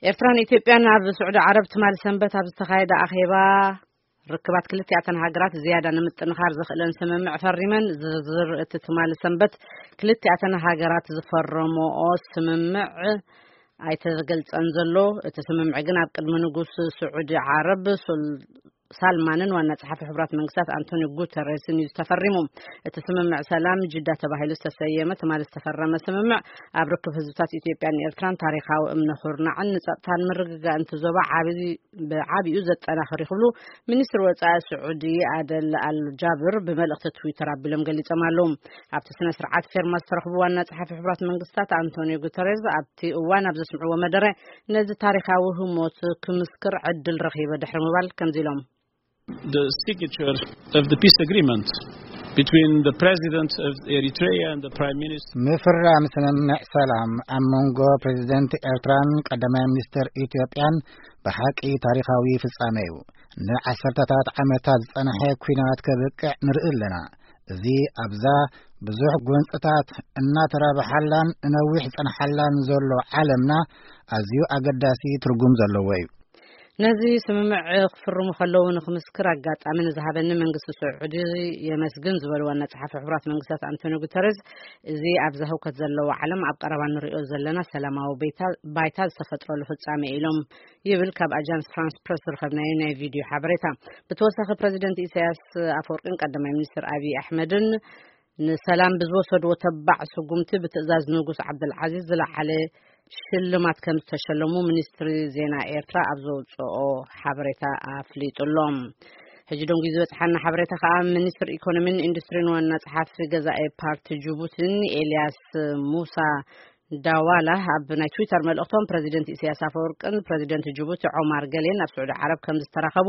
ኤርትራን ኢትዮጵያን ኣብ ስዑዲ ዓረብ ትማሊ ሰንበት ኣብ ዝተኻየደ ኣኼባ ርክባት ክልቲኣተን ሃገራት ዝያዳ ንምጥንኻር ዘኽእለን ስምምዕ ፈሪመን። ዝርዝር እቲ ትማሊ ሰንበት ክልቲኣተን ሃገራት ዝፈረመኦ ስምምዕ ኣይተገልጸን ዘሎ። እቲ ስምምዕ ግን ኣብ ቅድሚ ንጉስ ስዑዲ ዓረብ ሱል ሳልማንን ዋና ጸሓፊ ሕቡራት መንግስታት ኣንቶኒዮ ጉተሬስን እዩ ዝተፈሪሙ። እቲ ስምምዕ ሰላም ጅዳ ተባሂሉ ዝተሰየመ ትማሊ ዝተፈረመ ስምምዕ ኣብ ርክብ ህዝብታት ኢትዮጵያን ኤርትራን ታሪኻዊ እምነ ኩርናዕን ንጸጥታን ምርግጋእን እቲ ዞባ ዓቢ ብዓቢኡ ዘጠናኽር ክብሉ ሚኒስትር ወጻኢ ስዑዲ ኣደል ኣል ጃብር ብመልእኽቲ ትዊተር ኣቢሎም ገሊጾም ኣለዉ። ኣብቲ ስነ ስርዓት ፌርማ ዝተረኽቡ ዋና ጸሓፊ ሕቡራት መንግስታት ኣንቶኒዮ ጉተሬዝ ኣብቲ እዋን ኣብ ዘስምዕዎ መደረ ነዚ ታሪኻዊ ህሞት ክምስክር ዕድል ረኺበ ድሕሪ ምባል ከምዚ ኢሎም። The signature of the peace agreement between the president of Eritrea and the prime minister. ምፍራም ስምምዕ ሰላም ኣብ መንጎ ፕሬዚደንት ኤርትራን ቀዳማይ ሚኒስትር ኢትዮጵያን ብሓቂ ታሪኻዊ ፍጻሜ እዩ። ንዓሰርተታት ዓመታት ዝጸንሐ ኲናት ከብቅዕ ንርኢ ኣለና። እዚ ኣብዛ ብዙሕ ጎንጽታት እናተራብሓላን ንነዊሕ ዝጸንሓላን ዘሎ ዓለምና ኣዝዩ ኣገዳሲ ትርጉም ዘለዎ እዩ። ነዚ ስምምዕ ክፍርሙ ከለዉ ንክምስክር ኣጋጣሚ ንዝሃበኒ መንግስቲ ስዑዲ የመስግን ዝበሉ ዋና ጸሓፊ ሕቡራት መንግስታት ኣንቶኒዮ ጉተረዝ፣ እዚ ኣብዛ ህውከት ዘለዎ ዓለም ኣብ ቀረባ ንሪኦ ዘለና ሰላማዊ ባይታ ዝተፈጥረሉ ፍጻሜ ኢሎም ይብል ካብ ኣጃንስ ፍራንስ ፕረስ ዝረኸብናዮ ናይ ቪድዮ ሓበሬታ። ብተወሳኺ ፕረዚደንት ኢሳያስ ኣፈወርቅን ቀዳማይ ሚኒስትር ኣብይ ኣሕመድን ንሰላም ብዝወሰድዎ ተባዕ ስጉምቲ ብትእዛዝ ንጉስ ዓብደልዓዚዝ ዝለዓለ ሽልማት ከም ዝተሸለሙ ሚኒስትሪ ዜና ኤርትራ ኣብ ዘውፅኦ ሓበሬታ ኣፍሊጡ ኣሎ። ሕጂ ደንጉዩ ዝበፅሓና ሓበሬታ ከዓ ሚኒስትር ኢኮኖሚን ኢንዱስትሪን ዋና ጸሓፊ ገዛኢ ፓርቲ ጅቡቲን ኤልያስ ሙሳ ዳዋላ ኣብ ናይ ትዊተር መልእኽቶም ፕረዚደንት ኢሳያስ ኣፈወርቅን ፕረዚደንት ጅቡቲ ዖማር ገሌን ኣብ ስዑዲ ዓረብ ከም ዝተራኸቡ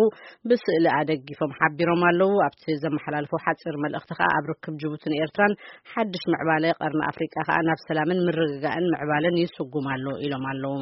ብስእሊ ኣደጊፎም ሓቢሮም ኣለዉ። ኣብቲ ዘመሓላልፎ ሓፂር መልእኽቲ ከዓ ኣብ ርክብ ጅቡትን ኤርትራን ሓድሽ ምዕባለ ቀርኒ ኣፍሪቃ ከዓ ናብ ሰላምን ምርግጋእን ምዕባለን ይስጉም ኣሎ ኢሎም ኣለዉ።